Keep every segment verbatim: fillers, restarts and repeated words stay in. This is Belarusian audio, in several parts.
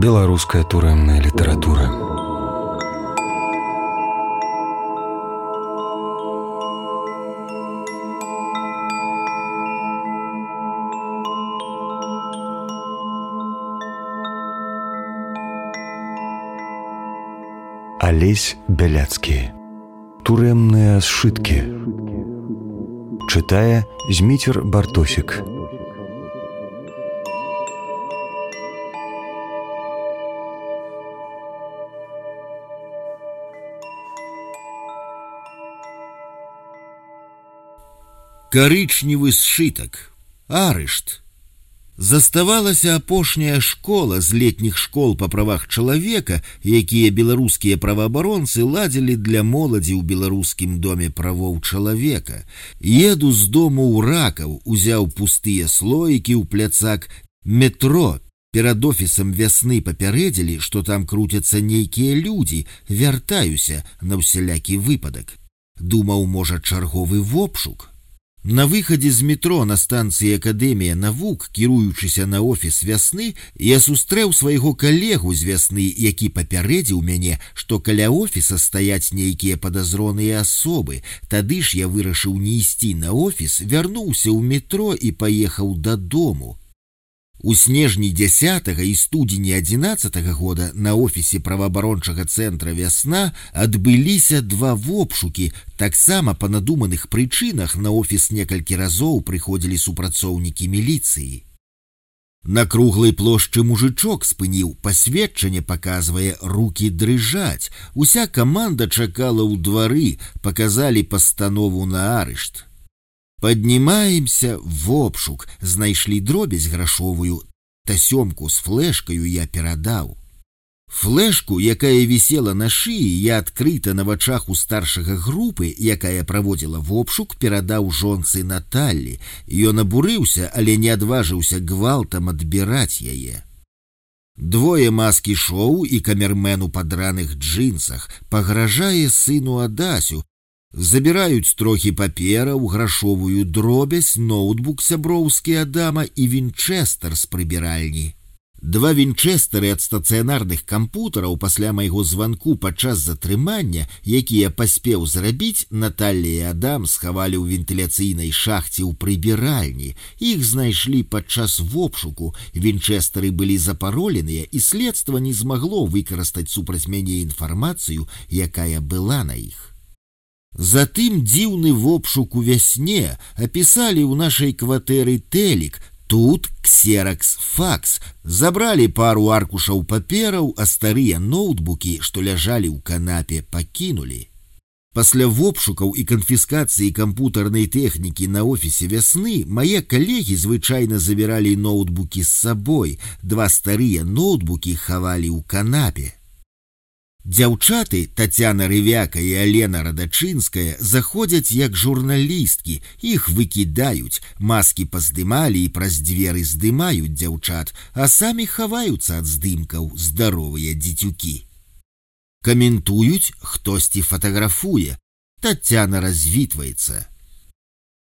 Беларуская турэмная літаратура. Алесь Бяляцкі. Турэмныя сшыткі. Чытае Зміцер Бартосік. Карычневы сшытак. Арышт. Заставалася апошняя школа з летніх школ па правах чалавека, якія беларускія праваабаронцы ладзілі для моладзі ў беларускім доме правоў чалавека. Еду з дому ў Ракаў, узяў пустыя слоікі ў пляцак метро. Перад офісам вясны папярэдзілі, што там круцяцца нейкія людзі, вяртаюся на ўсялякі выпадак. Думаў, можа, чарговы вопшук. На выхадзе з метро на станцыі Акадэмія навук, кіруючыся на офіс вясны, я сустрэў свайго калегу з вясны, які папярэдзіў мяне, што каля офіса стаяць нейкія падазроныя асобы. Тады ж я вырашыў не ісці на офіс, вярнуўся ў метро і паехаў дадому. У снежні дзясятага і студзені адзінаццатага года на офісе праваабарончага цэнтра «Вясна» адбыліся два вопшукі. Таксама па надуманых прычынах на офіс некалькі разоў прыходзілі супрацоўнікі міліцыі. На круглай плошчы мужычок спыніў, пасведчанне паказвае, рукі дрыжаць. Уся каманда чакала ў двары, паказалі пастанову на арышт. Паднімаемся в обшук, знайшлі дробязь грашовую, тасёмку з флэшкаю я перадаў. Флэшку, якая вісела на шыі, я адкрыта на вачах у старшага групы, якая праводзіла вопшук, перадаў жонцы Наталлі. Ён абурыўся, але не адважыўся гвалтам адбіраць яе. Двое маски-шоу і камермен у падраных джинсах пагражае сыну Адасю, забіраюць трохі папераў, грашовую дробязь, ноутбук сяброўскі Адама і вінчэстер з прыбіральні. Два вінчэстары ад стацыянарных кампутараў пасля майго званку падчас затрымання, якія паспеў зрабіць, Наталля і Адам схавалі ў вентыляцыйнай шахце ў прыбіральні. Іх знайшлі падчас вопшуку, вінчэстары былі запароленыя, і следства не змагло выкарыстаць супраць мяне інфармацыю, якая была на іх. Затым дзіўны вопшук у вясне, апісалі ў нашай кватэры тэлік, тут ксеракс-факс, забралі пару аркушаў папераў, а старыя ноутбукі, што ляжалі ў канапе, пакінулі. Пасля вопшукаў і канфіскацыі кампутарнай тэхнікі на офісе вясны мае калегі звычайна забіралі ноутбукі з сабой, два старыя ноутбукі хавалі ў канапе. Дзяўчаты Тацяна Рывяка і Алена Радачынская заходзяць як журналісткі, іх выкідаюць, маскі паздымалі і праз дзверы здымаюць дзяўчат, а самі хаваюцца ад здымкаў, здаровыя дзіцюкі. Каментуюць, хтосьці фатаграфуе, Тацяна развітваецца.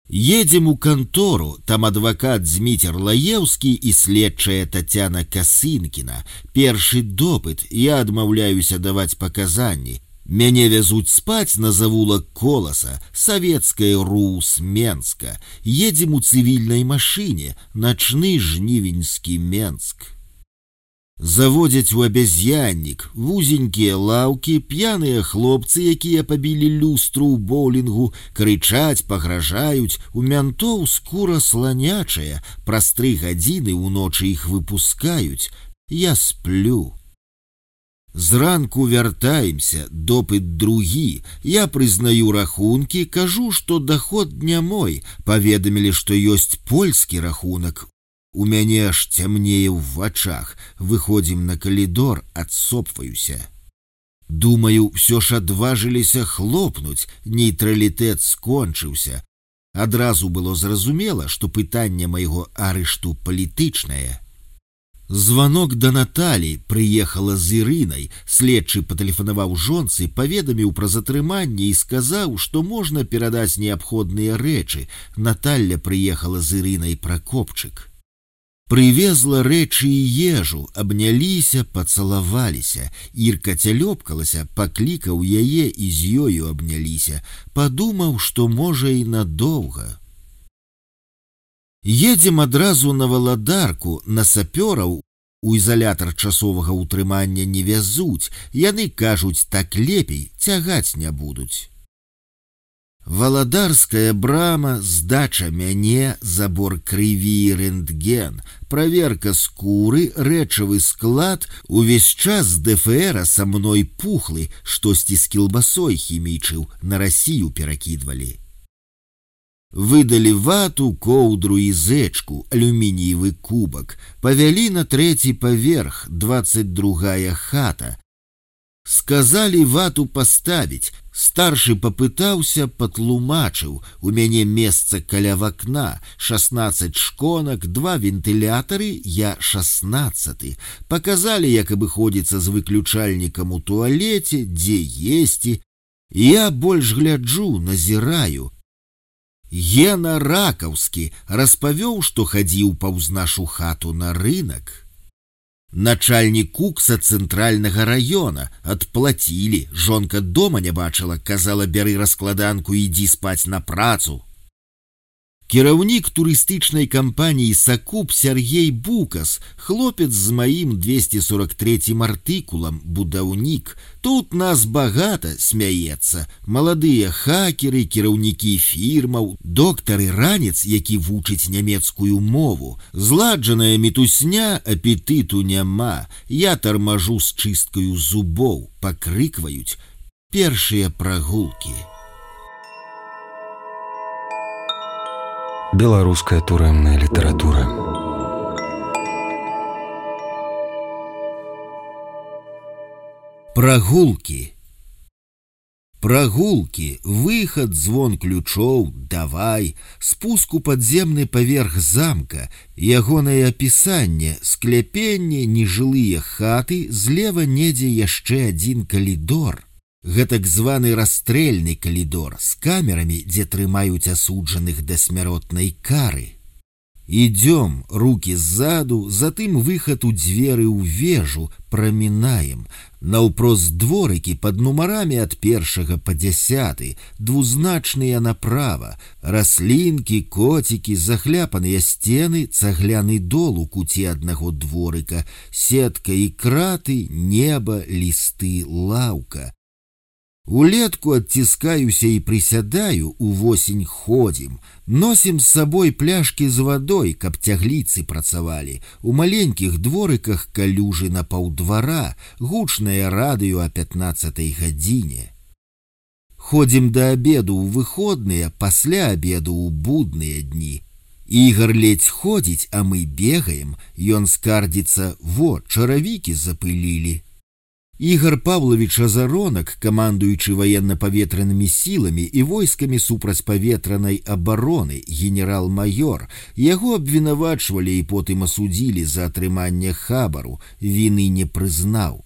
Едзем у кантору, там адвакат Зміцер Лаеўскі і следчая Тацяна Касынкіна. Першы допыт, я адмаўляюся даваць паказанні. Мяне вязуць спаць на завулак Коласа, савецкая РУС Менска. Едзем у цывільнай машыне, начны жнівеньскі Менск. Заводзяць у абязьяннік, вузенькія лаўкі, п'яныя хлопцы, якія пабілі люстру ў боулінгу, крычаць, пагражаюць, у мянтоў скура сланячая, праз тры гадзіны ўночы іх выпускаюць. Я сплю. Зранку вяртаемся, допыт другі, я прызнаю рахункі, кажу, што даход не мой, паведамілі, што ёсць польскі рахунак. У мяне аж цямнее ў вачах, выходзім на калідор, адсопваюся. Думаю, ўсё ж адважыліся хлопнуць, нейтралітэт скончыўся. Адразу было зразумела, што пытанне майго арышту палітычнае. Званок да Наталі, прыехала з Ірынай, следчы патэлефанаваў жонцы, паведаміў пра затрыманне і сказаў, што можна перадаць неабходныя рэчы. Наталля прыехала з Ірынай Пракопчык. Прывезла рэчы і ежу, абняліся, пацалаваліся. Ірка цялёпкалася, паклікаў яе і з ёю абняліся. Падумаў, што можа і надоўга. Едзем адразу на Валадарку, на сапёраў. У ізалятар часовага ўтрымання не вязуць. Яны кажуць, так лепей, цягаць не будуць. Валадарская брама, здача мяне, забор крыві, рэнтген, праверка скуры, рэчавы склад, увесь час з ДФРа са мной пухлы, штосьці з кілбасой хімічыў, на Расію перакідвалі. Выдалі вату, коўдру і зэчку, алюмініевы кубак, павялі на трэці паверх, дваццаць другая хата. Сказалі вату паставіць. Старшы папытаўся, патлумачыў. У мяне месца каля вакна, шаснаццаць шконак, два вентылятары, я шаснаццаты. Паказалі, як абыходзіцца з выключальнікам у туалеце, дзе есці. Я больш гляджу, назіраю. Гена Ракаўскі распавёў, што хадзіў паўз нашу хату на рынак. Начальнік кукса цэнтральнага раёна. Адплацілі. Жонка дома не бачыла, казала, бяры раскладанку, ідзі спаць на працу. Кіраўнік турыстычнай кампаніі «Сакуп» Сяргей Букас, хлопец з маім двесце сорок трэцім артыкулам, будаўнік. Тут нас багата, смяецца. Маладыя хакеры, кіраўнікі фірмаў, доктары ранец, які вучыць нямецкую мову. Зладжаная мітусня, апетыту няма. Я тармажу з чысткаю зубоў, пакрыкваюць. Першыя прагулкі. Беларуская турэмная літаратура. Прагулкі. Прагулкі, выхад, звон ключоў, давай, спуск у падземны паверх замка, ягонае апісанне, скляпенне, нежылыя хаты, злева недзе яшчэ адзін калідор. Гэтак званы расстрэльны калідор з камерамі, дзе трымаюць асуджаных да смяротнай кары. Ідём, рукі ззаду, затым выхад у дзверы ў вежу, прамінаем. Наўпрост дворыкі пад нумарамі ад першага па дзясяты, двузначныя направа, раслінкі, коцікі, захляпаныя сцены, цагляны дол у куце аднаго дворыка, сетка і краты, неба, лісты, лаўка. Улетку адціскаюся і прысядаю, увосень ходзім. Носім з сабой пляшкі з вадой, каб цягліцы працавалі. У маленькіх дворыках калюжы на паўдвара, гучнае радыё о пятнаццатай гадзіне. Ходзім да абеду ў выходныя, пасля абеду ў будныя дні. Ігар ледзь ходзіць, а мы бегаем. Ён скардзіцца: во, чаравікі запылілі. Ігар Павлович Азаронак, камандуючы военно-паветранымі сіламі і войскамі супрацьпаветранай абароны, генерал-майор, яго абвінавачвалі і потым асудзілі за атрыманне хабару, віны не прызнаў.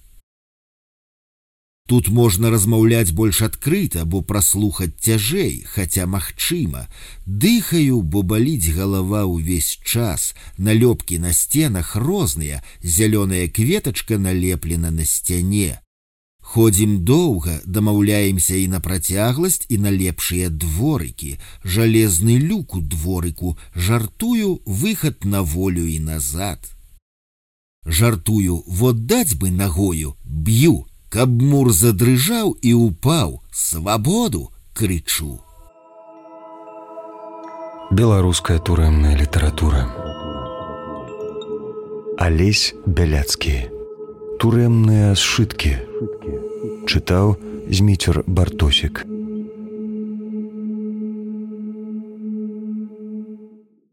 Тут можна размаўляць больш адкрыта, бо праслухаць цяжэй, хаця магчыма. Дыхаю, бо баліць галава ўвесь час. Налёпкі на сценах розныя, зялёная кветачка налеплена на сцяне. Ходзім доўга, дамаўляемся і на працягласць, і на лепшыя дворыкі. Жалезны люк у дворыку, жартую, выхад на волю і назад. Жартую, вот даць бы нагою, б'ю. Каб мур задрыжаў і упаў, свабоду, крычу. Беларуская турэмная літаратура. Алесь Бяляцкі. Турэмныя сшыткі. Чытаў Зміцер Бартосік.